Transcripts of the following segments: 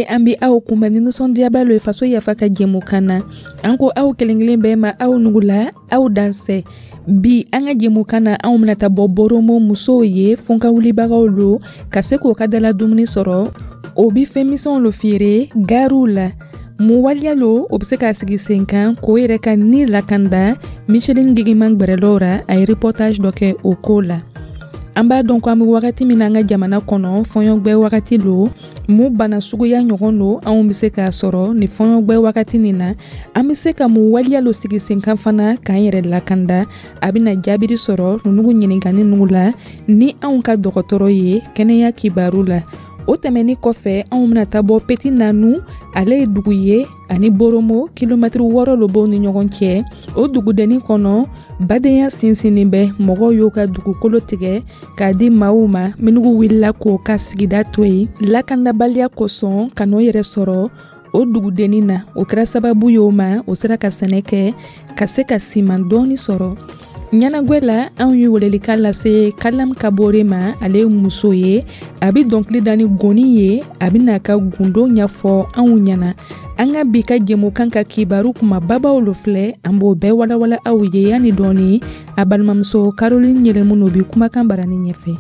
An bɛ aw kunbɛn ni nisɔndiyaba lo ye Faso Yafa ka jɛmukan na. An ko aw kelen kelen bɛɛ ma, aw nugula, aw dansɛ. Bi an ka jɛmukan na, anw bɛna taa bɔ Boromo musow ye, fɔnkawulibagaw lo, ka se k'o ka dala dumuni sɔrɔ. O bi fɛn misɛnw lo feere gariw la. Mun waleya lo o bɛ se k'a sigi sen kan k'o yɛrɛ ka ni lakanda? Micheline Gigiman gbɛrɛlɔw ra, a ye reportage dɔ kɛ o ko la. An b'a dɔn ko an bɛ wagati min na an ka jamana kɔnɔ, fɔɲɔgbɛ wagati lo. Mun bana suguya ɲɔgɔn lo anw bɛ se k'a sɔrɔ ni fɔɲɔgbɛ wagati nin na? An bɛ se ka mun waleya lo sigi sen kan fana k'an yɛrɛ lakanda? A bɛna jaabiri sɔrɔ nunugu ɲininkani nugu la ni anw ka dɔgɔtɔrɔ ye kɛnɛya kibaru la. O tɛmɛni kɔfɛ, anw bɛna taa bɔ Petit Nanou. Ale ye dugu ye, ani Boromo kilomɛtiri 6 lo b'o ni ɲɔgɔn cɛ. O dugudennin kɔnɔ, badenya sinsinnin bɛ. Mɔgɔw y'o ka dugukolo tigɛ k'a di maaw ma minnu wulila k'o ka sigida to yen lakandabaliya kosɔn, ka n'o yɛrɛ sɔrɔ o dugudennin na. O kɛra sababu ye o ma, o sera ka sɛnɛ kɛ ka se ka siman dɔɔni sɔrɔ. Ɲɛnagwɛ la, anw ye welelikan lase Kalam Kabore ma. Ale ye muso ye, a bɛ dɔnkili da ni goni ye. A bɛna a ka gundo ɲɛfɔ anw ɲɛna. An ka bi ka jɛmukan ka kibaru kumababaw lo filɛ, an b'o bɛɛ walawala aw ye yanni dɔɔni. A balimamuso Caroline Yɛlɛmu bi kumakan barani ɲɛfɛ.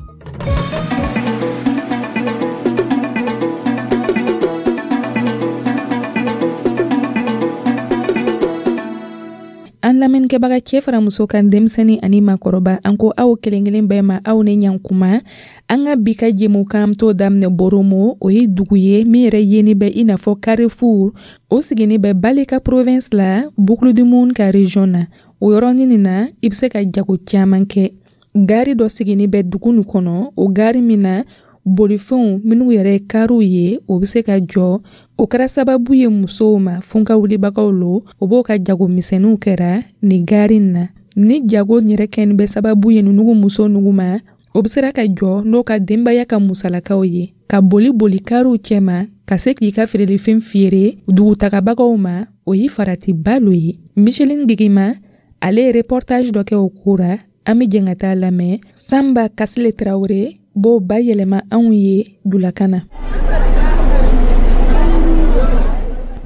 An lamɛnnikɛbaga, cɛ fara muso kan, denmisɛnnin ani maakɔrɔba, an ko aw kelen kelen bɛɛ ma, aw ni ɲankuma. An ka bi ka jɛmukan t'o daminɛ Boromo. O ye dugu ye min yɛrɛ yeni bɛ i n'a fɔ Carrefour. O sigini bɛ Baleka province la, Boucle du Mouhoun ka région na. O yɔrɔnin nin na, i bɛ se ka jago caman kɛ. Gari dɔ sigini bɛ dugu nin kɔnɔ, o gari min na bolifɛnw minnu yɛrɛ ye kariw ye, o bɛ se ka jɔ. O kɛra sababu ye musow ma, funkawulibagaw lo, o b'o ka jago misɛnninw kɛra nin gari in na. Ni jago yɛrɛ kɛni bɛ sababu ye nunugu muso nugu ma, o bɛ sera ka jɔ n'o ka denbaya ka musalakaw ye, ka boli boli kariw cɛma ka se k'i ka feerelifɛn feere dugutagabagaw ma. O ye faratiba lo ye. Micheline Gigima, ale ye reportage dɔ kɛ o ko ra. An bɛ jɛn ka taa lamɛn. Sanba Kasile Tarawele b'o bayɛlɛma anw ye julakan na.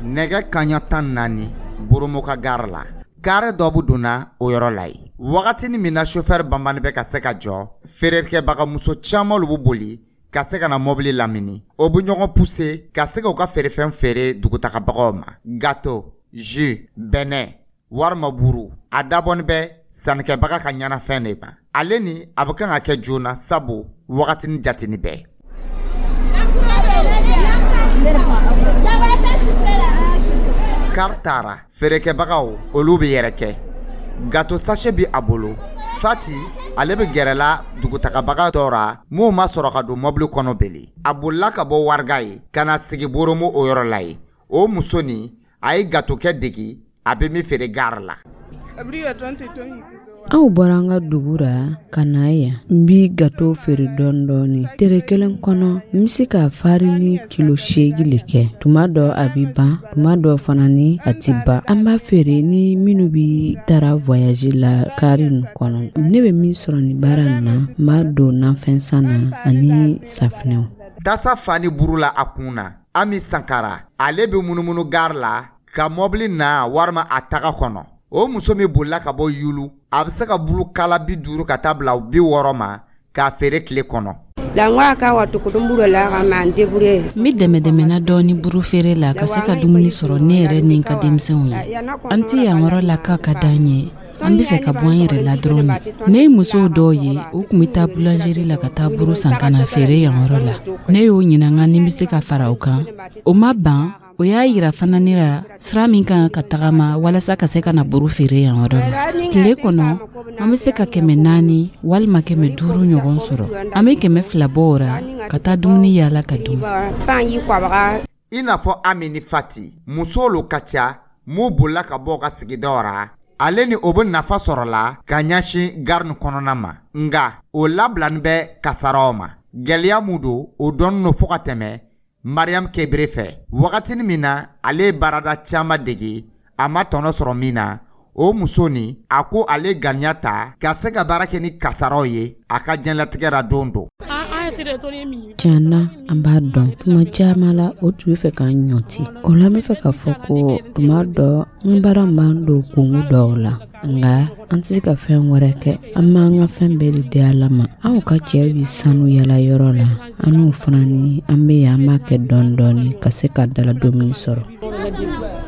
Nɛgɛ kaɲa 14, Boromo ka gare la, kari dɔ bɛ donna o yɔrɔ la yen. Wagatinin min na sofɛri banbani bɛ ka se ka jɔ, feerekɛbagamuso caman lu bɛ boli ka se ka na mɔbili lamini. O bɛ ɲɔgɔn puse ka se k'u ka feerefɛn feere dugutagabagaw ma: gâteau, jus, bɛnɛ walima buru. A dabɔni bɛ sannikɛbaga ka ɲɛnafɛn de ma. Ale ni a bɛ kan ka kɛ joona, sabu wagatinin jatini bɛɛ. Kari taara, feerekɛbagaw olu bɛ yɛrɛ kɛ. Gâteau sachet bɛ a bolo. Fati, ale bɛ gɛrɛla dugutagabaga dɔ ra minnu ma sɔrɔ ka don mɔbili kɔnɔ bele. A bolila ka bɔ Wariga ye ka na sigi Boromo o yɔrɔ la yen. O muso nin, a ye gâteau kɛ degi, a bɛ min feere gare la. Anw bɔra an ka dugu ra ka na yan. N bi gato feere dɔɔni dɔɔni. Tere kelen kɔnɔ, n bɛ se ka farini kilo 8 le kɛ. Tuma dɔ a bi ban, tuma dɔ fana ni a ti ban. An b'a feere ni minnu bi taara voyage la kari nin kɔnɔ. Ne bɛ min sɔrɔ nin baara nin na, n b'a don nafɛn san na ani safinɛw. Tasa fani buru la a kun na, Ami Sankara, ale bɛ munumunu gare la ka mɔbili na walima a taga kɔnɔ. O muso min bolila ka bɔ Yulu, a bɛ se ka buru kala 50 ka taa bila 60 ma k'a feere tile kɔnɔ. N bɛ dɛmɛ dɛmɛna dɔɔni buru feere la ka se ka dumuni sɔrɔ ne yɛrɛ ni n ka denmisɛnw ye. An tɛ yan yɔrɔ la k'a ka d'an ye, an bɛ fɛ ka bɔ an yɛrɛ la dɔrɔn de. Ne ye musow dɔw ye, u tun bɛ taa boulangerie la ka taa buru san ka na feere yan yɔrɔ la. Ne y'o ɲininka ni n bɛ se ka fara o kan. O ma ban, o y'a yira fana ne la sira min kan ka tagama walasa ka se ka na buru feere yan yɔrɔ la. Tile kɔnɔ, an bɛ se ka 400 walima 500 ɲɔgɔn sɔrɔ. An bɛ 200 bɔ o ra ka taa dumuni yaala ka dun. I n'a fɔ Ami ni Fati, musow lo ka ca mun bolila ka bɔ u ka sigidaw ra. Ale ni o bɛ nafa sɔrɔ la ka ɲɛsin gare nin kɔnɔna ma, nka o labilani bɛ kasaraw ma. Gɛlɛya mun don, o dɔnnen don fo ka tɛmɛ Mariam Kebere fɛ. Wagatinin min na ale ye baarada caman dege, a ma tɔnɔ sɔrɔ min na, o muso nin, a ko ale ganiya ta ka se ka baara kɛ ni kasaraw ye a ka diɲɛlatigɛ ra don dɔ. An ye Tiɲɛ na, an b'a dɔn tuma caman la, o tun bɛ fɛ k'an ɲɔti. O la, n bɛ fɛ k'a fɔ ko tuma dɔ n baara b'an don kungo dɔw la, nka an tɛ se ka fɛn wɛrɛ kɛ. An b'an ka fɛn bɛɛ de di Ala ma. Anw ka cɛ bɛ sanu yala yɔrɔ la, an n'o fana ni an bɛ yan, an b'a kɛ dɔɔni dɔɔni ka se ka dala dumuni sɔrɔ.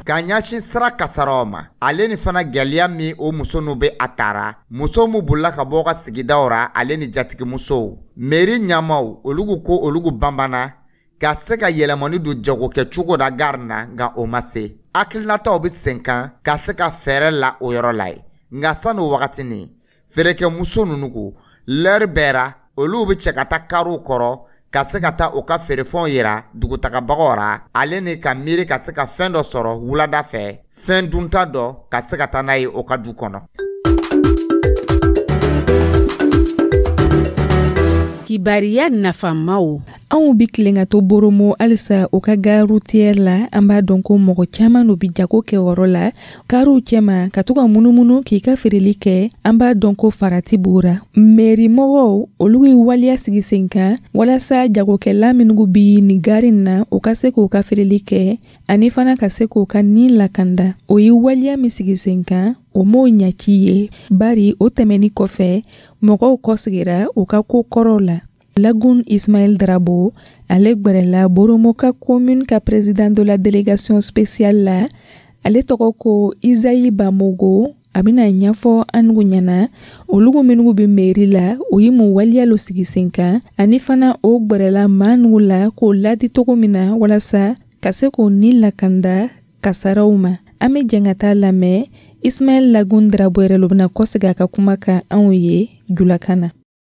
Ka ɲɛsin sira kasaraw ma, ale ni fana gwɛlɛya min o muso n'u bɛ a tara, muso min bolila ka bɔ ka sigidaw ra, ale ni jatigimusow, mairie ɲɛmaw, olugu ko olugu banbana ka se ka yɛlɛmani don jagokɛcogo da gari na, nka o ma se. Hakilinataw bɛ sen kan ka se ka fɛɛrɛ la o yɔrɔ la ye. Nka sani o wagatinin, feerekɛmuso ninnu ko lɛri bɛɛ ra, olu bɛ cɛ ka taa kariw kɔrɔ ka se ka taa u ka feerefɛnw yira dugutagabagaw ra, ale ni ka miiri ka se ka fɛn dɔ sɔrɔ wulada fɛ, fɛn dunta dɔ ka se ka taa n'a ye o ka du kɔnɔ. Kibariya nafamaw. Anw bi tilen ka to Boromo halisa o ka gare routière la. An b'a dɔn ko mɔgɔ caman no bi jago kɛ yɔrɔ la, kariw cɛma, ka to ka munumunu k'i ka feereli kɛ. An b'a dɔn ko farati b'o ra. Mairie mɔgɔw, olu ye waleya sigi sen kan walasa jagokɛla minnu bi nin gari na, u ka se k'u ka feereli kɛ ani fana ka se k'u ka nin lakanda. O ye waleya min sigi sen kan, o m'o ɲaci ye, bari o tɛmɛni kɔfɛ, mɔgɔw kɔsegira u ka ko kɔrɔw la. Lagun Ismaël Drabo, ale gwɛrɛla Boromo ka commune ka président de la délégation spéciale la, ale tɔgɔ ko Isaïe Bamogo. A bɛna ɲɛfɔ an nugu ɲɛna olugu minnu bɛ mairie la, o ye mun waleya lo sigi sen kan, ani fana o gwɛrɛla maa nugu la k'o ladi cogo min na walasa ka se k'o ni lakanda kasaraw ma. An bɛ jɛn ka taa lamɛn. Ismaël Lagun Drabo yɛrɛ lo bɛna kɔsegin a ka kuma kan anw ye julakan na.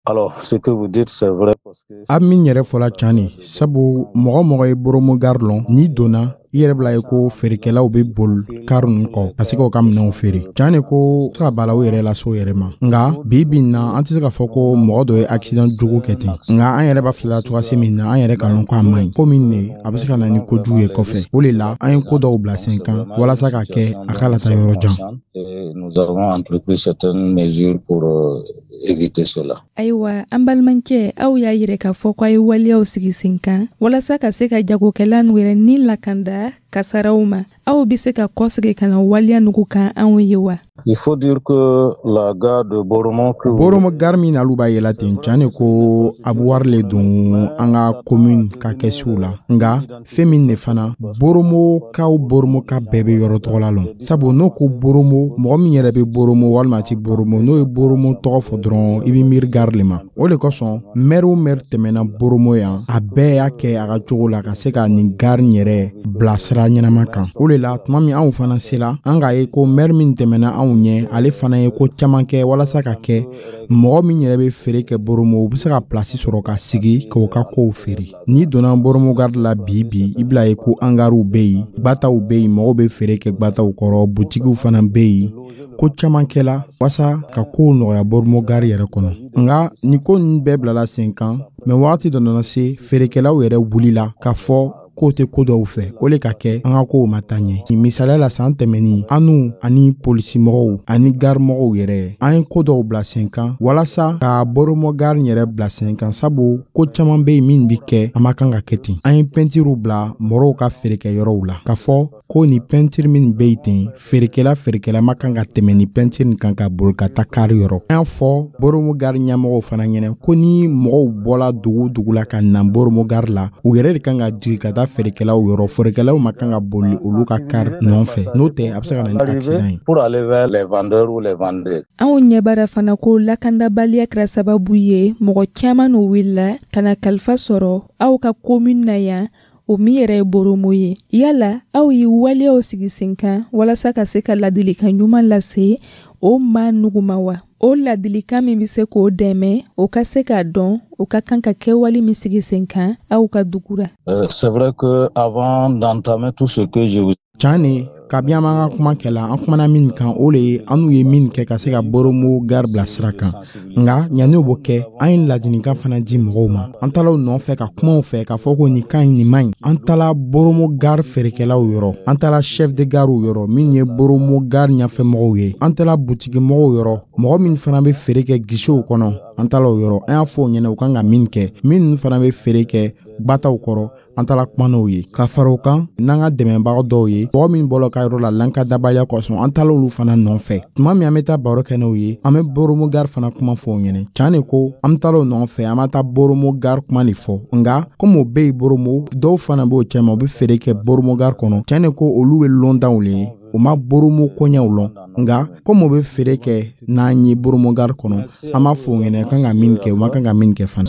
Alors, ce que vous dites, c'est vrai parce que A min yɛrɛ fɔla can ne, sabu mɔgɔ mɔgɔ ye Boromo gare lɔn, n'i donna i yɛrɛ bila ye ko feerekɛlaw bɛ boli kari ninnu kɔ ka se k'u ka minɛnw feere. Can ne ko se ka bala u yɛrɛ lase u yɛrɛ ma. Nka bi bi in na, an tɛ se k'a fɔ ko mɔgɔ dɔ ye accident jugu kɛ ten, nka an yɛrɛ b'a filɛ cogoya se min na, an yɛrɛ ka lɔn ko a man ɲi, ko min ne a bɛ se ka na ni kojugu ye kɔfɛ. O de la, an ye ko dɔw bila sen kan walasa ka kɛ a k'a lata yɔrɔ jan. Et nous avons entrepris certaines mesures pour éviter cela. Ayiwa, an balimakɛ, aw y'a yɛrɛ k'a fɔ ko a ye waleyaw sigi sen kan walasa ka se ka jagokɛla nu yɛrɛ ni lakanda kasaraw ma. Aw bɛ se ka kɔsegi ka na waleya nugu kan anw ye wa? Il faut dire que la gare de Boromo que Boromo gare min n'alu b'a yɛlɛ ten, can ne ko a bɛ wari le don an ka commune ka kɛsiw la. Nka fɛn min de fana, Boromokaw, Boromoka bɛɛ bɛ yɔrɔ tɔgɔ la lɔn, sabu n'o ko Boromo, mɔgɔ min yɛrɛ bɛ Boromo walima a ti Boromo, n'o ye Boromo tɔgɔ fɔ dɔrɔn, i bɛ miiri gare le ma. O de kosɔn, maire o maire tɛmɛna Boromo yan, a bɛɛ y'a kɛ a ka cogo la ka se ka nin gare yɛrɛ bila sira ɲɛnama kan. O de la, tuma min anw fana sela, an k'a ye ko maire min tɛmɛna anw ɲɛ, ale fana ye ko caman kɛ walasa ka kɛ mɔgɔ min yɛrɛ bɛ feere kɛ Boromo, u bɛ se ka pilasi sɔrɔ ka sigi k'o ka kow feere. N'i donna Boromo gare la bi bi, i bila ye ko angariw bɛ yen, gbataw bɛ yen, mɔgɔw bɛ feere kɛ gbataw kɔrɔ, butigiw fana bɛ yen. Ko caman kɛla walasa ka kow nɔgɔya Boromo gare yɛrɛ kɔnɔ. Nka nin ko ninnu bɛɛ bilala sen kan, mɛ wagati dɔ nana se, feerekɛlaw yɛrɛ wulila k'a fɔ k'o tɛ ko dɔw fɛ. O le ka kɛ an ka kow ma taa ɲɛ. Misaliya la, san tɛmɛnin, an n'u ani polisimɔgɔw ani garimɔgɔw yɛrɛ, an ye ko dɔw bila sen kan walasa ka Boromo gare yɛrɛ bila sen kan, sabu ko caman bɛ yen min bɛ kɛ, a ma kan ka kɛ ten. An ye pɛntiriw bila mɔgɔw ka feerekɛyɔrɔw la k'a fɔ ko nin pɛntiri min bɛ yen ten, feerekɛla ma kan ka tɛmɛ ni pɛntiri nin kan ka boli ka taa kari yɔrɔ. An y'a fɔ Boromo gare ɲɛmɔgɔw fana ɲɛna ko ni mɔgɔw bɔla dugu dugu la ka na Boromo gare la, u yɛrɛ de kan ka jigin ka taa feerekɛlaw yɔrɔ. Feerekɛlaw ma kan ka boli olu ka kari nɔfɛ, n'o tɛ a bɛ se ka na ni accident ye. Pour aller vers les vendeurs ou les vendeurs. Anw ɲɛbara fana ko lakandabaliya kɛra sababu ye mɔgɔ caman n'o wulila ka na kalifa sɔrɔ aw ka commune na yan, o min yɛrɛ ye Boromo ye. Yala aw ye waleyaw sigi sen kan walasa ka se ka ladilikan ɲuman lase o maa nugu ma wa? O ladilikan min bɛ se k'o dɛmɛ o ka se k'a dɔn o ka kan ka kɛwale min sigi sen kan aw ka dugu la? C'est vrai que avant d'entamer tout ce que je vous Can ne, kabi an b'an ka kuma kɛla, an kumana min kan, o le ye an n'u ye min kɛ ka se ka Boromo gare bila sira kan. Nka yanni o b'o kɛ, an ye ladilikan fana di mɔgɔw ma. An taala u nɔfɛ ka kumaw fɛ k'a fɔ ko nin ka ɲi, nin man ɲi. An taala Boromo gare feerekɛlaw yɔrɔ, an taala chef de gare yɔrɔ min ye Boromo gare ɲɛfɛmɔgɔw ye, an taala butigimɔgɔw yɔrɔ, mɔgɔ min fana bɛ feere kɛ guichetw kɔnɔ. An taala o yɔrɔ, an y'a fɔ o ɲɛna u kan ka min kɛ. Minnu fana bɛ feere kɛ gbataw kɔrɔ, an taara kuma n'o ye. Ka fara o kan, n'an ka dɛmɛbaga dɔw ye, mɔgɔ min bɔla ka yɔrɔ la lankadabaliya kosɔn, an taala olu fana nɔfɛ. Tuma min an bɛ taa baro kɛ n'o ye, an bɛ Boromo gare fana kuma fɔ o ɲɛna. Can de ko an bɛ taala o nɔfɛ, an ma taa Boromo gare kuma de fɔ, nka komi o bɛ yen Boromo, dɔw fana b'o cɛma, u bɛ feere kɛ Boromo gare kɔnɔ. Can de ko olu bɛ londanw le ye, u ma Boromo koɲɛw lɔn, nka komi o bɛ feere kɛ n'an ye Boromo gare kɔnɔ, an b'a fɔ o ɲɛna kan ka min kɛ, u ma kan ka min kɛ fana.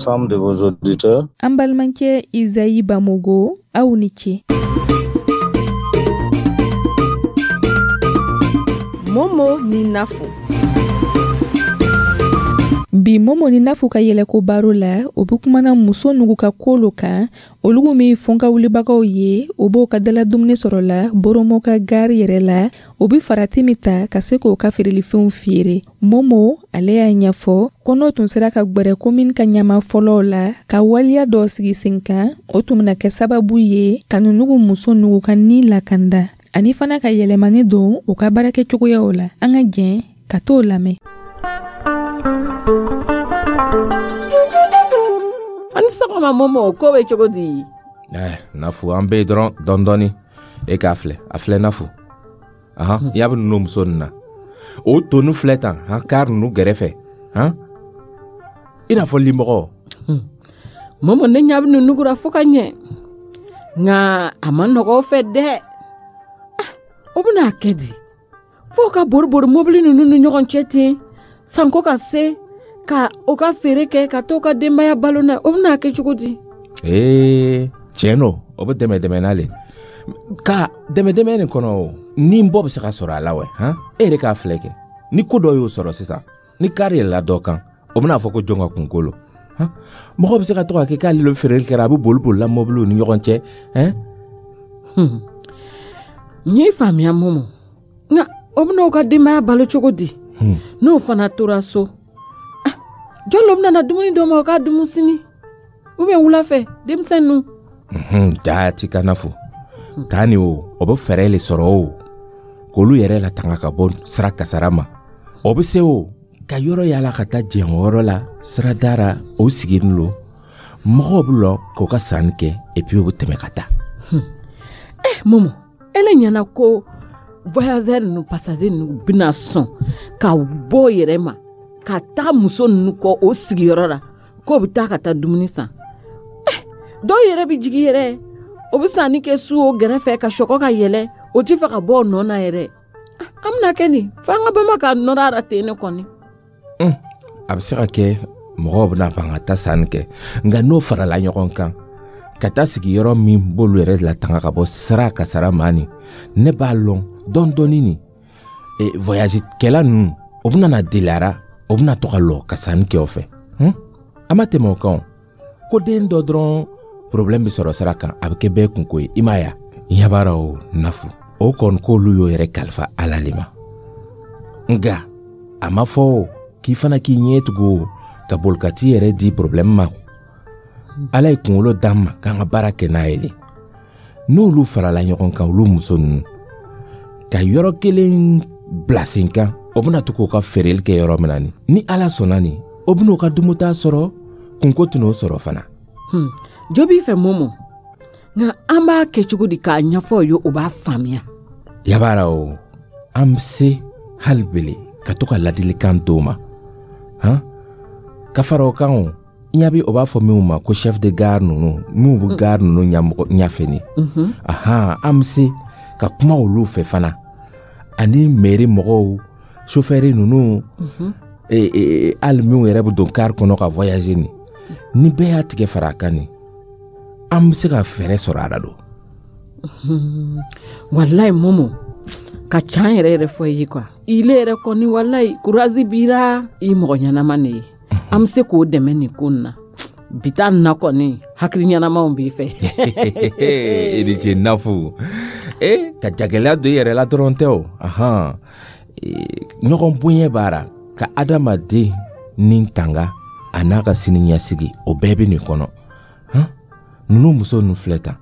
An balimakɛ Izayi Bamogo, aw ni ce. Momo ni Nafo. Bi Momo ni Nafo ka yɛlɛko baro la, o bɛ kumana muso nugu ka ko lo kan, olugu min fɔnkawulibagaw ye, o b'o ka dala dumuni sɔrɔ la Boromo ka gari yɛrɛ la, o bɛ farati min ta ka se k'o ka feerelifɛnw feere. Momo ale y'a ɲɛfɔ ko n'o tun sera ka gwɛrɛ komini ka ɲama fɔlɔw la ka waleya dɔ sigi sen kan, o tun bɛna kɛ sababu ye ka nunugu muso nugu ka ni lakanda, ani fana ka yɛlɛmani don u ka baarakɛcogoyaw la. An ka jɛn ka t'o lamɛn. Ani sɔgɔma Momo, ko bɛ cogo di? Nafu, an bɛ dɔrɔn dɔɔni dɔɔni. E k'a filɛ, a filɛ Nafu. Ahan, i y'a bɛ ninnu muso ninnu na. O tonu filɛ tan, han, kari ninnu gɛrɛfɛ, han? I n'a fɔ limɔgɔ. Momo, ne ɲa bɛ ninnu kura fo ka ɲɛ. Nka a ma nɔgɔ o fɛ dɛ. O bɛna kɛ di? Fo ka bori-bori mobili ninnu ni ɲɔgɔn cɛ ten, sanko ka se ka o ka feere kɛ ka t'o ka denbaya balo na, o bɛna kɛ cogo di? Ee, tiɲɛ don, o bɛ dɛmɛ dɛmɛ n'ale. Ka dɛmɛ dɛmɛ nin kɔnɔ o, ni bɔ bɛ se ka sɔrɔ a la wɛ, han? E yɛrɛ k'a filɛ kɛ. Ni ko dɔ y'o sɔrɔ sisan, ni kari yɛlɛla dɔ kan, o bɛna fɔ ko jɔn ka kunko lo. Han? Mɔgɔ bɛ se ka to ka kɛ k'ale le feereli kɛra, a bɛ boli bolila mɔbiliw ni ɲɔgɔn cɛ, hein? N y'i faamuya Momo. Nka o bɛna o ka denbaya balo cogo di? N'o fana tora so, jɔn lo bɛna na dumuni d'o ma o k'a dumu sini ou bien wula fɛ denmisɛn ninnu? Jaati ka Nafo. Taa ni o, o bɛ fɛɛrɛ le sɔrɔ o, k'olu yɛrɛ latanga ka bɔ sira kasara ma. O bɛ se o ka yɔrɔ yala ka taa jɛn o yɔrɔ la sirada ra, o sigilen lo, mɔgɔw bɛ lɔ k'o ka sanni kɛ, et puis o bɛ tɛmɛ ka taa. Momo, ele ɲɛna ko voyageur ninnu, passager ninnu bɛna sɔn ka bɔ yɛrɛ ma ka taga muso ninnu kɔ o sigiyɔrɔ la k'o bɛ taa ka taa dumuni san. Dɔw yɛrɛ bɛ jigin yɛrɛ, o bɛ sanni kɛ su o gɛrɛfɛ ka sɔgɔ ka yɛlɛ, o ti fɛ ka bɔ o nɔ na yɛrɛ. An bɛna kɛ nin f'an ka bama ka nɔrɔ a la ten ne kɔni. A bɛ se ka kɛ mɔgɔw bɛna ban ka taa sanni kɛ, nka n'o farala ɲɔgɔn kan ka taa sigi yɔrɔ min b'olu yɛrɛ latanga ka bɔ sira kasara ma nin, ne b'a lɔn dɔɔni dɔɔni nin voyage kɛla ninnu, o bɛna na deliyara, o bɛna to ka lɔ ka sanni kɛ o fɛ. A ma tɛmɛ o kan o, ko den dɔ dɔrɔn problème bɛ sɔrɔ sira kan, a bɛ kɛ bɛɛ kunko ye, i m'a ye wa? Ɲɛ b'a la o Nafu, o kɔni k'olu y'o yɛrɛ kalifa Ala le ma. Nka a ma fɔ o k'i fana k'i ɲɛ tugu o ka boli ka t'i yɛrɛ di problème ma. Ala ye kunkolo d'an ma k'an ka baara kɛ n'a ye le. N'olu farala ɲɔgɔn kan, olu muso ninnu ka yɔrɔ kelen bila sen kan, o bɛna to k'o ka feereli kɛ yɔrɔ min na nin, ni Ala sɔnna nin, o bɛn'o ka dumuta sɔrɔ, kunko tɛn'o sɔrɔ fana. Jo b'i fɛ Momo, nka an b'a kɛ cogo di k'a ɲɛfɔ o ye, o b'a faamuya? Yabara o, an bɛ se hali bele ka to ka ladilikan d'o ma, han? Ka fara o kan o, i ɲa bɛ o b'a fɔ minnu ma ko chef de gare ninnu, minnu bɛ gare ninnu ɲɛmɔgɔ ɲɛfɛ nin. Ahan, an bɛ se ka kuma olu fɛ fana, ani mairie mɔgɔw, chauffeur ninnu, hali minnu yɛrɛ bɛ don car kɔnɔ ka voyager nin, ni bɛɛ y'a tigɛ fara a kan nin, an bɛ se ka fɛɛrɛ sɔrɔ a la don. Walayi Momo, ka can yɛrɛ yɛrɛ fɔ i ye quoi. Ile yɛrɛ kɔni walayi courage b'i la, i mɔgɔ ɲɛnama de ye. An bɛ se k'o dɛmɛ nin ko nin na. Bi ta nin na kɔni, hakili ɲɛnamaw b'i fɛ. I ni ce Nafu. Ka jagɛlɛya don i yɛrɛ la dɔrɔn tɛ o. Ahan. Ɲɔgɔn bonya b'a la ka adamaden ni tanga a n'a ka sini ɲɛsigi, o bɛɛ bɛ nin kɔnɔ. Han? Ninnu muso ninnu filɛ tan,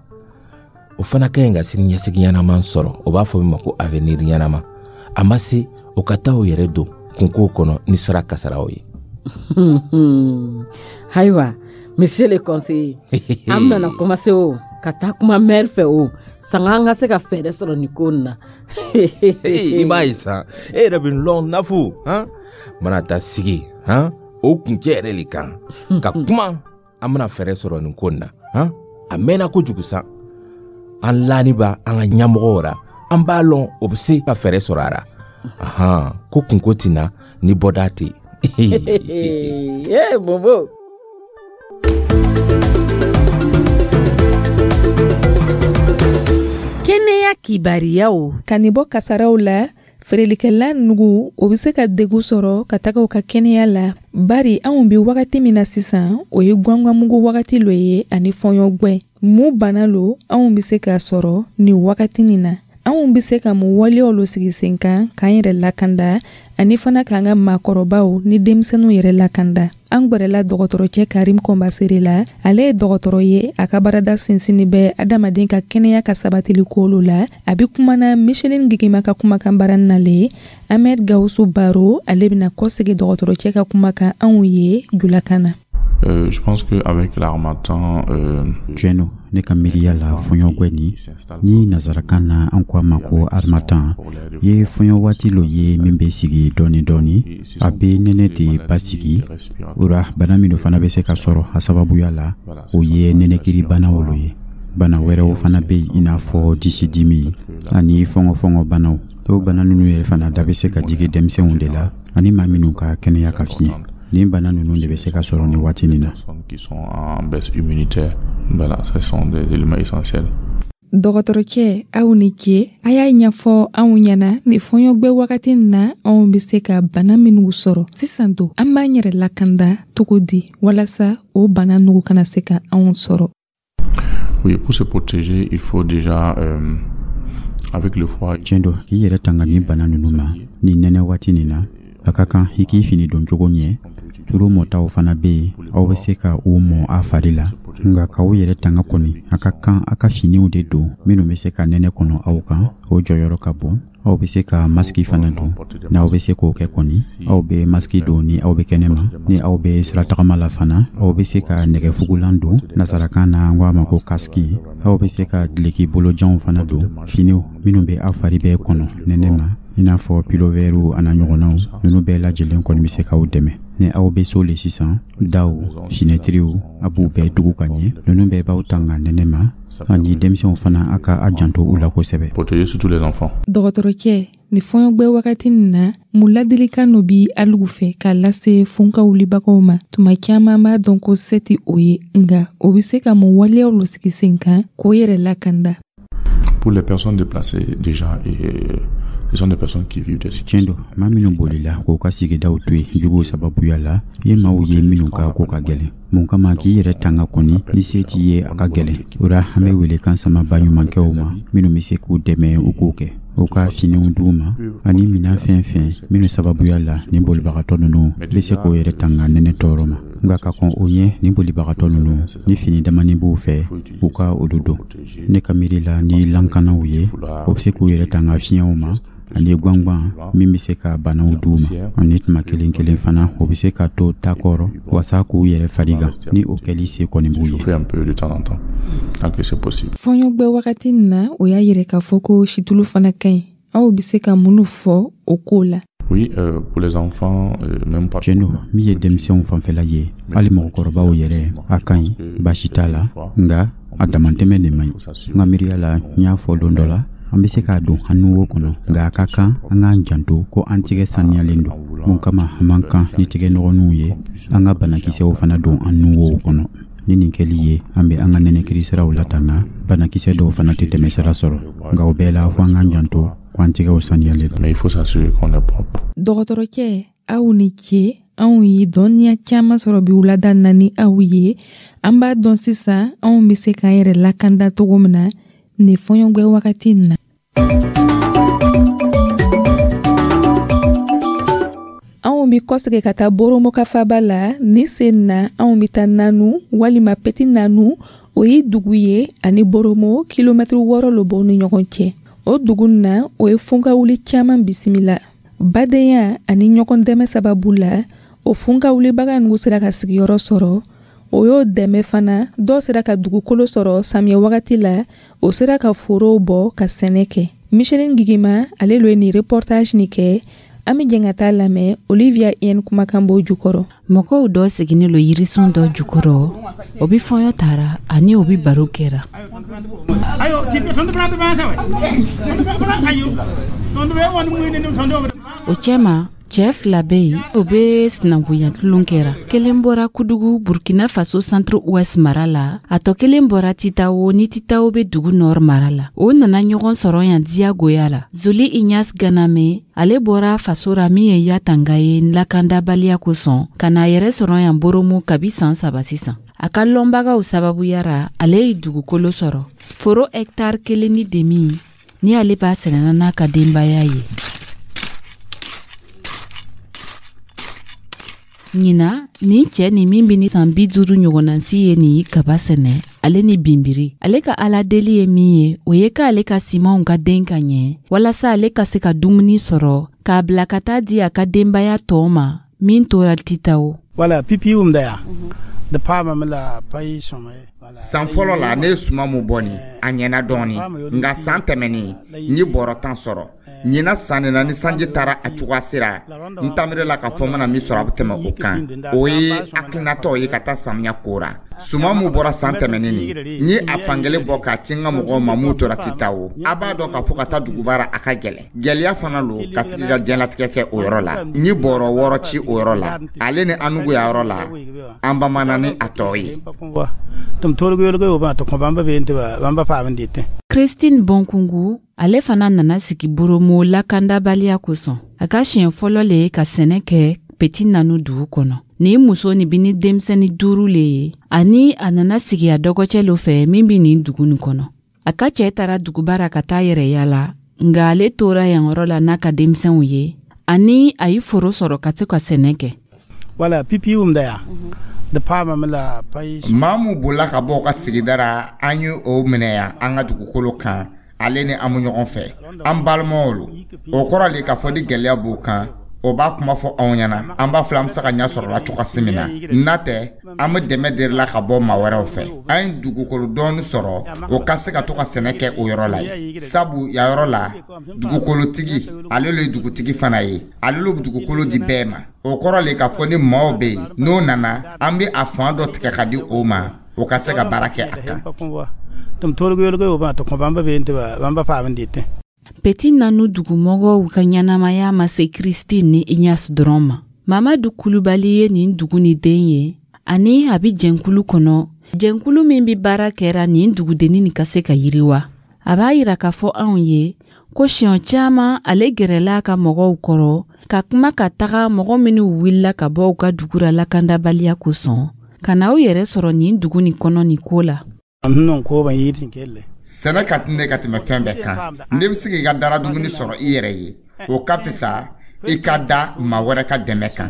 o fana ka ɲi ka sini ɲɛsigi ɲɛnama sɔrɔ, o b'a fɔ min ma ko avenir ɲɛnama. A ma se o ka taa o yɛrɛ don kunkow kɔnɔ ni sira kasaraw ye. Ayiwa, monsieur le conseiller, an bɛna commencer o ka taa kuma maire fɛ o, sanga an ka se ka fɛɛrɛ sɔrɔ nin ko nin na. I b'a ye sa, e yɛrɛ bɛ lɔn Nafu han, mana taa sigi han o kuncɛ yɛrɛ le kan ka kuma, an bɛna fɛɛrɛ sɔrɔ nin ko nin na han. A mɛnna kojugu sa, an lani b'a an ka ɲɛmɔgɔw ra, an b'a lɔn o bɛ se ka fɛɛrɛ sɔrɔ a ra. Ahan, ko kunko tɛ na ni bɔda tɛ. Ee Momo. Kɛnɛya kibariyaw. Ka nin bɔ kasaraw la, feerelikɛla nugu o bɛ se ka degun sɔrɔ ka taga u ka kɛnɛya la, bari anw bi wagati min na sisan, o ye gwangwanmugu wagati lo ye ani fɔɲɔgwɛ. Mun bana lo anw bɛ se k'a sɔrɔ nin wagati nin na? Anw bɛ se ka mun waleyaw lo sigi sen kan k'an yɛrɛ lakanda ani fana k'an ka maakɔrɔbaw ni denmisɛnninw yɛrɛ lakanda? An gwɛrɛla dɔgɔtɔrɔcɛ Karim Kɔnbasere la. Ale ye dɔgɔtɔrɔ ye, a ka baarada sinsinni bɛ adamaden ka kɛnɛya ka sabatili kolo la. A bɛ kumana Micheline Gigima ka kumakan baara nalen. Ahmed Gawusu Baro, ale bɛna kɔsegin dɔgɔtɔrɔcɛ ka kuma kan anw ye julakan na. Je pense qu'avec l'harmattan, Tiɲɛ don, ne ka miiriya la, fɔɲɔgwɛ nin ni nazarakan na an ko a ma ko harmattan, ye fɔɲɔ waati lo ye min bɛ sigi dɔɔni dɔɔni, a bɛ nɛnɛ de basigi. O ra, bana minnu fana bɛ se ka sɔrɔ a sababuya la, o ye nɛnɛkiri banaw lo ye. Bana wɛrɛw fana bɛ yen, i n'a fɔ disidimi ani fɔngɔfɔngɔ banaw. O bana ninnu yɛrɛ fana da bɛ se ka jigin denmisɛnw de la ani maa minnu ka kɛnɛya ka fiɲɛ. Nin bana ninnu de bɛ se ka sɔrɔ nin waati nin na. Qui sont en baisse immunitaire. Voilà, ce sont des éléments essentiels. Dɔgɔtɔrɔcɛ, aw ni ce. A y'a ɲɛfɔ anw ɲɛna ni fɔɲɔgwɛ wagati nin na, anw bɛ se ka bana minnu sɔrɔ sisan don, an b'an yɛrɛ lakanda cogo di walasa o bana nugu kana se ka anw sɔrɔ? Oui, pour se protéger, il faut déjà, avec le froid. Tiɲɛ don, k'i yɛrɛ tanga nin bana ninnu ma ni nɛnɛ waati nin na, a ka kan i k'i fini don cogo ɲɛ. Turu mɔtaw fana bɛ yen, aw bɛ se ka u mɔ a fari la. Nka k'aw yɛrɛ tanga kɔni, a ka kan a ka finiw de don minnu bɛ se ka nɛnɛ kɔnɔ aw kan, o jɔyɔrɔ ka bon. Aw bɛ se ka masiki fana don. N'aw bɛ se k'o kɛ kɔni, aw bɛ masiki don ni aw bɛ kɛnɛ ma. Ni aw bɛ siratagama la fana, aw bɛ se ka nɛgɛfugulan don, nasarakan na an ko a ma ko kasiki. Aw bɛ se ka dileki bolojanw fana don, finiw minnu bɛ aw fari bɛɛ kɔnɔ nɛnɛ ma, i n'a fɔ pilovɛriw a n'a ɲɔgɔnnaw. Ninnu bɛɛ lajɛlen kɔni bɛ se k'aw dɛmɛ. Ni aw bɛ so le sisan, daw, finɛtiriw, a b'u bɛɛ tugu ka ɲɛ. Ninnu bɛɛ b'aw tanga nɛnɛ ma. Ani denmisɛnw fana, a ka a janto u la kosɛbɛ. Protéger surtout les enfants. Dɔgɔtɔrɔcɛ, ni fɔɲɔgwɛ wagati nin na, mun ladilikan no bi alugu fɛ k'a lase funka wulibagaw ma? Tuma caman b'a dɔn ko se tɛ o ye, nka o bɛ se ka mun waleyaw lo sigi sen kan k'o yɛrɛ lakanda? Pour les personnes déplacées déjà, et ce sont des personnes qui vivent des Tiɲɛ don, maa minnu bolila k'u ka sigidaw to yen juguw sababuya la, ye maaw ye minnu ka ko ka gɛlɛn. Mun kama k'i yɛrɛ tanga kɔni, ni se t'i ye, a ka gɛlɛn. O ra, an bɛ welekan sama baɲumankɛw ma minnu bɛ se k'u dɛmɛ, u k'o kɛ, u ka finiw d'u ma ani minan fɛn fɛn minnu sababuya la ni bolibagatɔ ninnu bɛ se k'o yɛrɛ tanga nɛnɛ tɔɔrɔ ma. Nka ka kɔn o ɲɛ, ni bolibagatɔ ninnu ni fini damani b'u fɛ, u ka olu don. Ne ka miiri la, ni lankanaw ye, o bɛ se k'u yɛrɛ tanga fiɲɛw ma ani gwangwan min bɛ se ka banaw d'u ma. Ani tuma kelen kelen fana, o bɛ se ka to ta kɔrɔ wasa k'u yɛrɛ farigan, ni o kɛli se kɔni b'u ye. Fɔɲɔgwɛ wagati nin na, o y'a yɛrɛ k'a fɔ ko situlu fana ka ɲi. Aw bɛ se ka minnu fɔ o ko la? Oui, pour les enfants, même pas. Tiɲɛ don, min ye denmisɛnw fanfɛla ye, hali mɔgɔkɔrɔbaw yɛrɛ, a ka ɲi, baasi t'a la, nka a damantɛmɛ de man ɲi. N ka miiriya la, n y'a fɔ don dɔ la, an bɛ se k'a don an nuwo kɔnɔ, nka a ka kan an k'an janto ko an tigɛ saniyalen don. Mun kama an man kan ni tigɛ nɔgɔninw ye, an ka banakisɛw fana don an nuwow kɔnɔ. Ni nin kɛli ye, an bɛ an ka nɛnɛkiri siraw latanga, banakisɛ dɔw fana tɛ tɛmɛ sira sɔrɔ. Nka o bɛɛ la, fo an k'an janto ko an tigɛw saniyalen don. Mais il faut s'assurer qu'on est propre. Dɔgɔtɔrɔcɛ, aw ni ce. Anw ye dɔnniya caman sɔrɔ bi wulada na ni aw ye. An b'a dɔn sisan anw bɛ se k'an yɛrɛ lakanda cogo min na nin fɔɲɔgwɛ wagati in na. Anw bi kɔsegin ka taa Boromokafaba la. Ni sen na, anw bi taa Nanu walima Petit Nanu. O ye dugu ye ani Boromo kilomɛtiri 6 lo b'o ni ɲɔgɔn cɛ. O dugu na, o ye funkawuli caman bisimila. Badenya ani ɲɔgɔn dɛmɛ sababu la, O funka wulibaga nugu sera ka sigiyɔrɔ sɔrɔ. O y'o dɛmɛ fana, dɔw sera ka dugukolo sɔrɔ samiyɛ wagati la, o sera ka forow bɔ ka sɛnɛ kɛ. Micheline Gigima ale lo ye nin reportage nin kɛ. An bɛ jɛn ka taa lamɛn Olivia Yen kumakan b'o jukɔrɔ. Mɔgɔw dɔ siginin lo yirisun dɔ jukɔrɔ, o bi fɔɲɔ tara ani o bi baro kɛra. O cɛma, cɛɛ fila bɛ yen, o bɛ sinankunya tulon kɛra. Kelen bɔra Kudugu, Burkina Faso Centre Ouest mara la, a tɔ kelen bɔra Titawo ni Titawo bɛ dugu Nord mara la. O nana ɲɔgɔn sɔrɔ yan diyagoya la. Zoli Ignace Ganame, ale bɔra faso ra min ye Yatanga ye lakandabaliya kosɔn, ka n'a yɛrɛ sɔrɔ yan Boromo kabi san 3 sisan. A ka lɔnbagaw sababuya ra, ale ye dugukolo sɔrɔ. Foro hɛktare 1.5 ni ale b'a sɛnɛna n'a ka denbaya ye. Ɲina nin cɛ nin min bɛ ni san 50 ɲɔgɔnna si ye nin kaba sɛnɛ, ale ni binbiri. Ale ka ala deli ye min ye, o ye k'ale ka simanw ka den ka ɲɛ, walasa ale ka se ka dumuni sɔrɔ k'a bila ka taa di a ka denbaya tɔw ma min tora Titawo. Wala pipi um da ya. Da pa ma la payi sɔmɛ. San fɔlɔ la, ne ye suman mun bɔ nin, a ɲɛna dɔɔni, nka san tɛmɛnen n ye bɔrɔ 10 sɔrɔ. Ɲinan san nin na, ni sanji taara a cogoya sera, n taamire la k'a fɔ n bɛna min sɔrɔ a bɛ tɛmɛ o kan. O ye hakilinatɔ ye ka taa samiya ko ra. Suman mun bɔra san tɛmɛnen nin, n ye a fankelen bɔ k'a ci n ka mɔgɔw ma mun tora Titawo. A b'a dɔn k'a fɔ ka taa duguba ra, a ka gɛlɛn. Gɛlɛya fana lo ka sigi ka diɲɛlatigɛ kɛ o yɔrɔ la. N ye bɔrɔ 6 ci o yɔrɔ la. Ale ni Anugu y'a yɔrɔ la, an bamana ni a tɔ ye. Christine Bonkungu, ale fana nana sigi Boromo lakandabaliya kosɔn. A ka siɲɛ fɔlɔ le ye ka sɛnɛ kɛ Petit Nanu dugu kɔnɔ. Nin muso nin bi ni denmisɛnnin 5 le ye, ani a nana sigi a dɔgɔcɛ lo fɛ min bi nin dugu nin kɔnɔ. A ka cɛ taara duguba ra ka taa yɛrɛ yala, nka ale tora yan yɔrɔ la n'a ka denmisɛnw ye, ani a ye foro sɔrɔ ka to ka sɛnɛ kɛ. Wala pipi um da ya. Da pa ma la payi. Maa mun bolila ka bɔ u ka sigida ra, an ye o minɛ yan an ka dugukolo kan. Ale ni an bɛ ɲɔgɔn fɛ, an balimaw lo. O kɔrɔ le k'a fɔ ni gɛlɛya b'o kan, o b'a kuma fɔ anw ɲɛna, an b'a filɛ an bɛ se ka ɲɛ sɔrɔ la cogoya min na. N'a tɛ, an bɛ dɛmɛ deli la ka bɔ maa wɛrɛw fɛ. An ye dugukolo dɔɔni sɔrɔ, o ka se ka to ka sɛnɛ kɛ o yɔrɔ la yen. Sabu yan yɔrɔ la, dugukolotigi ale le ye dugutigi fana ye, ale le bɛ dugukolo di bɛɛ ma. O kɔrɔ le k'a fɔ ni maaw bɛ yen, n'o nana, an bɛ a fan dɔ tigɛ ka di o ma, o ka se ka baara kɛ a kan. Petit Nanu dugumɔgɔw ka ɲɛnamaya ma se Christine ni Ignace dɔrɔn ma. Mamadu Kulubali ye nin dugu ni den ye, ani a bɛ jɛnkulu kɔnɔ, jɛnkulu min bɛ baara kɛra nin dugudennin nin ka se ka yiriwa. A b'a yira k'a fɔ anw ye ko siɲɛ caman ale gɛrɛla a ka mɔgɔw kɔrɔ ka kuma ka taga mɔgɔ minnu wulila ka bɔ u ka dugu ra lakandabaliya kosɔn, ka na u yɛrɛ sɔrɔ nin dugu nin kɔnɔ nin ko la. Sɛnɛ ka di ne ka tɛmɛ fɛn bɛɛ kan. Ne bɛ se k'i ka dara dumuni sɔrɔ i yɛrɛ ye, o ka fisa i ka da maa wɛrɛ ka dɛmɛ kan.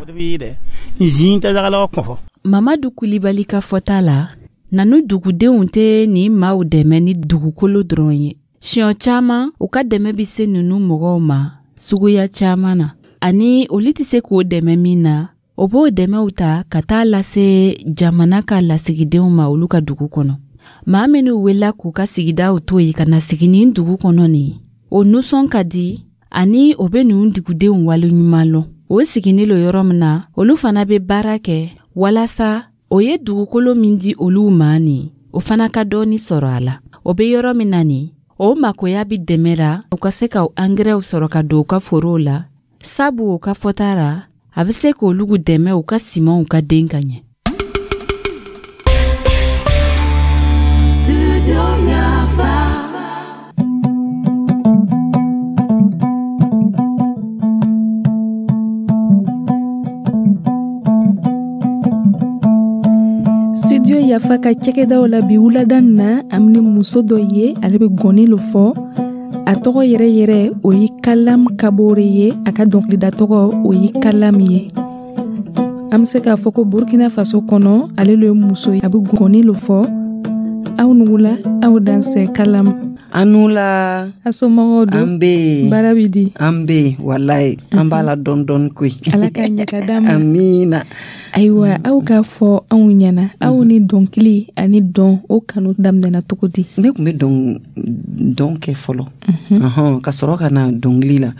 Mamadu Kulibali ka fɔta la, Nanu dugudenw tɛ nin maaw dɛmɛ ni dugukolo dɔrɔn ye. Siɲɛ caman, u ka dɛmɛ bɛ se ninnu mɔgɔw ma suguya caman na, ani olu tɛ se k'o dɛmɛ min na, o b'o dɛmɛw ta ka taa lase jamana ka lasigidenw ma olu ka dugu kɔnɔ. Maa minnu wulila k'u ka sigidaw to yen ka na sigi nin dugu kɔnɔ nin, o nisɔn ka di ani o bɛ ninnu dugudenw waleɲuman lɔn. O sigilen lo yɔrɔ min na, olu fana bɛ baara kɛ walasa o ye dugukolo min di olu ma nin, o fana ka dɔɔni sɔrɔ a la. O bɛ yɔrɔ min na nin, o makoya bɛ dɛmɛ la u ka se ka angɛrɛw sɔrɔ ka don u ka forow la, sabu u ka fɔta ra, a bɛ se k'olu dɛmɛ u ka simanw ka den ka ɲɛ. Studio Yafa ka cɛkɛdaw la bi wulada nin na, an bɛ muso dɔ ye, ale bɛ gɔni lo fɔ. A tɔgɔ yɛrɛ yɛrɛ o ye Kalam Kabore ye, a ka dɔnkilida tɔgɔ o ye Kalam ye. An bɛ se k'a fɔ ko Burkina Faso kɔnɔ, ale lo ye muso ye, a bɛ gɔni lo fɔ. Aw nugula, aw dansɛ Kalam. An la. A somɔgɔw don? An bɛ yen. Baara bɛ di? An bɛ yen, walayi. An b'a la dɔɔni dɔɔni koyi. Ala ka ɲɛ ka d'an ma. Amiina. Ayiwa, aw k'a fɔ anw ɲɛna, aw ni dɔnkili ani dɔn, o kanu daminɛna cogo di? Ne tun bɛ dɔn kɛ fɔlɔ, ka sɔrɔ ka na dɔnkili la.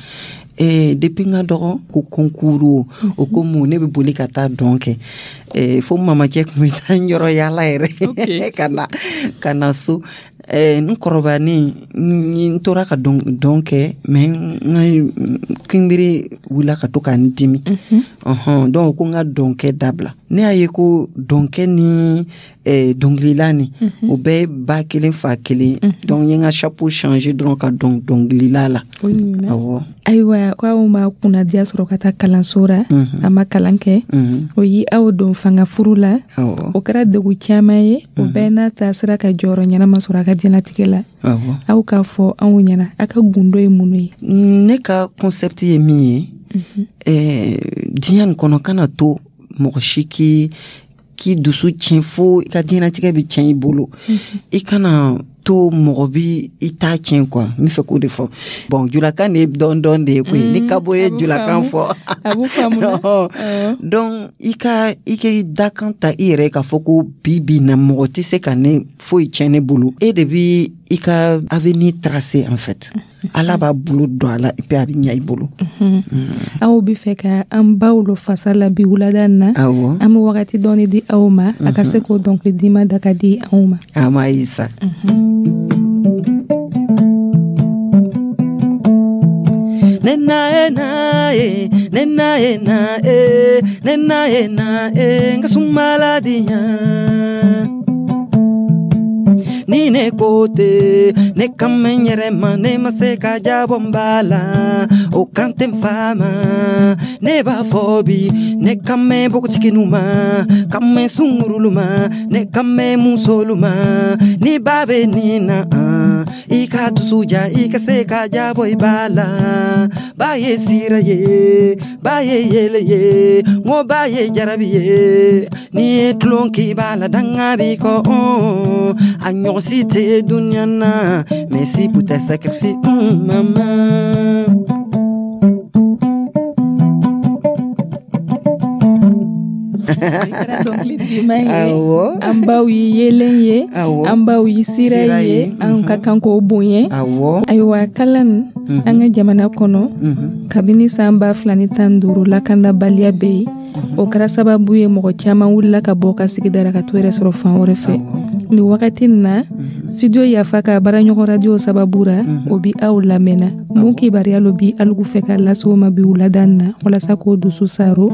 Depuis n ka dɔgɔ, ko concours o ko mun, ne bɛ boli ka taa dɔn kɛ, fo mamacɛ tun bɛ taa n yɔrɔ yaala yɛrɛ ka na so. N kɔrɔbayalen, n tora ka dɔn kɛ, mais n ka kinbiri wulila ka to ka n dimi. Donc ko n ka dɔnkɛ dabila. Ne y'a ye ko dɔnkɛ ni dɔnkilila ni, o bɛɛ ye ba kelen fa kelen. Donc n ye n ka chapeau changer dɔrɔn ka dɔn dɔnkilila la. Awɔ. Ayiwa, ko aw ma kunnadiya sɔrɔ ka taa kalanso ra, a ma kalan kɛ, o yi aw don fanga furu la, o kɛra degun caman ye. O bɛɛ n'a ta sera ka jɔyɔrɔ ɲɛnama sɔrɔ a ka diɲɛlatigɛ la. Aw k'a fɔ anw ɲɛna, aw ka gundo ye mun ye? Ne ka concept ye min ye, diɲɛ nin kɔnɔ, kana to mɔgɔ si k'i dusu tiɲɛ fo i ka diɲɛlatigɛ bɛ tiɲɛ i bolo. I kana to mɔgɔ bi i t'a tiɲɛ quoi. N bɛ fɛ k'o de fɔ. Bon, julakan de ye dɔɔni dɔɔni de ye koyi. Ni kabo ye julakan fɔ. Donc i ka i ka dakan ta i yɛrɛ k'a fɔ ko bi bi na mɔgɔ tɛ se ka ne foyi tiɲɛ ne bolo. E de bi i ka avenir tracer en fait. Ala b'a bolo don a la et puis a bɛ ɲɛ i bolo. Aw bɛ fɛ ka an baw lo fasa la bi wulada in na. An bɛ wagati dɔɔni di aw ma, a ka se k'o dɔnkili dima da ka di anw ma. A ma ye sa. Ne na e na e, ne na e na e, ne na e na e, nka sumala di yan. Ni ne ko te, ne kan bɛ n yɛrɛ ma, ne ma se ka jabɔ n ba la, o kan tɛ n fa ma. Ne b'a fɔ bi, ne kan bɛ npogotigininw ma, kan bɛ sungurulu ma, ne kan bɛ musolu ma. Ni ba bɛ nin na, i ka dusu ja, i ka se ka jabɔ i ba la. Ba ye sira ye, ba ye yɛlɛ ye, n ko ba ye jarabi ye. N'i ye tulon k'i b'a la, danga b'i kɔ. A ɲɔgɔn si tɛ dunuya na, merci pour tes sacrifices, maman. Dɔnkili diman ye. An baw ye yeelen ye, an baw ye sira ye, an ka kan k'o bonya. Ayiwa, kalan an ka jamana kɔnɔ, kabini san 2015 lakanabaliya bɛ yen. O kɛra sababu ye mɔgɔ caman wulila ka bɔ ka sigida la ka t'o yɛrɛ sɔrɔ fan wɛrɛ fɛ. Nin wagati in na, studio Yafa ka baaraɲɔgɔn radio sababu ra, o bi aw lamɛnna. Mun kibaruya lo bi alugu fɛ ka lase o ma bi wulada in na, walasa k'o dusu saro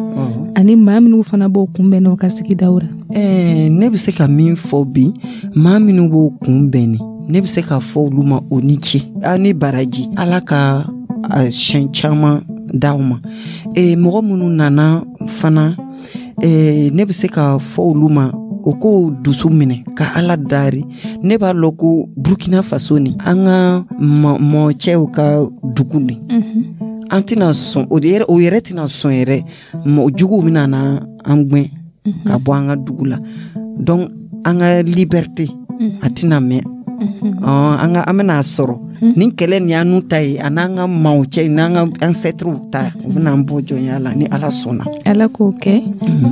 ani maa minnu fana b'o kunbɛn n'o ka sigidaw ra? Ne bɛ se ka min fɔ bi, maa minnu b'o kunbɛn, ne bɛ se k'a fɔ olu ma o ni ce, aw ni baraji. Ala ka siɲɛ caman d'aw ma. Mɔgɔ minnu nana fana, ne bɛ se k'a fɔ olu ma o k'o dusu minɛ ka Ala dari. Ne b'a lɔn ko Burkina Faso ni an ka mɔcɛw ka dugu ni, an tɛna sɔn o yɛrɛ tɛna sɔn yɛrɛ, mɔgɔ juguw bɛna na an gɛn ka bɔ an ka dugu la. Donc an ka liberté a tɛna mɛn, an bɛna a sɔrɔ. Nin kɛlɛ nin y'an n'u ta ye, a n'an ka maaw cɛ, n'an ka ancêtres ta, u bɛna an bɔ jɔnya la ni Ala sɔnna. Ala k'o kɛ.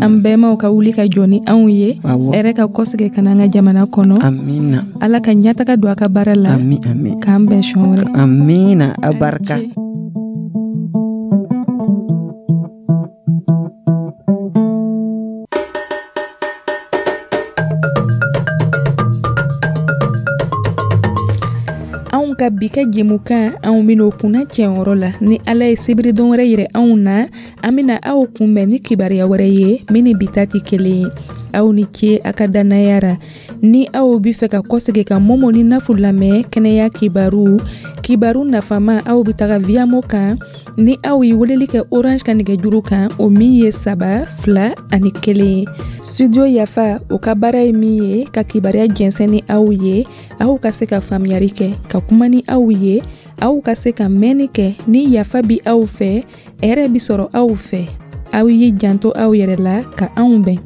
An bɛnbaw ka wuli ka jɔ ni anw ye, hɛrɛ ka kɔsegin ka na an ka jamana kɔnɔ. Amina. Ala ka ɲɛtaga don a ka baara la. Ami ami. K'an bɛn siɲɛ wɛrɛ. Amina, a barika. Anw ka bi ka jɛmukan, anw bɛn'o kunna cɛyɔrɔ la. Ni Ala ye sibiri don wɛrɛ yira anw na, an bɛna aw kunbɛn ni kibaruya wɛrɛ ye min ni bi ta tɛ kelen ye. Aw ni ce a ka dannaya ra. Ni aw bɛ fɛ ka kɔsegin ka Momo ni Nafu lamɛn kɛnɛya kibaru, kibaru nafama, aw bɛ taga Viamo kan. Ni aw ye weleli kɛ Orange ka nɛgɛjuru kan, o min ye 3 2 ani 1 ye. Studio Yafa, o ka baara ye min ye ka kibaruya jɛnsɛn ni aw ye, aw ka se ka faamuyali kɛ, ka kuma ni aw ye, aw ka se ka mɛnni kɛ. Ni yafa bi aw fɛ, hɛrɛ bi sɔrɔ aw fɛ. Aw y'i janto aw yɛrɛ la ka anw bɛn.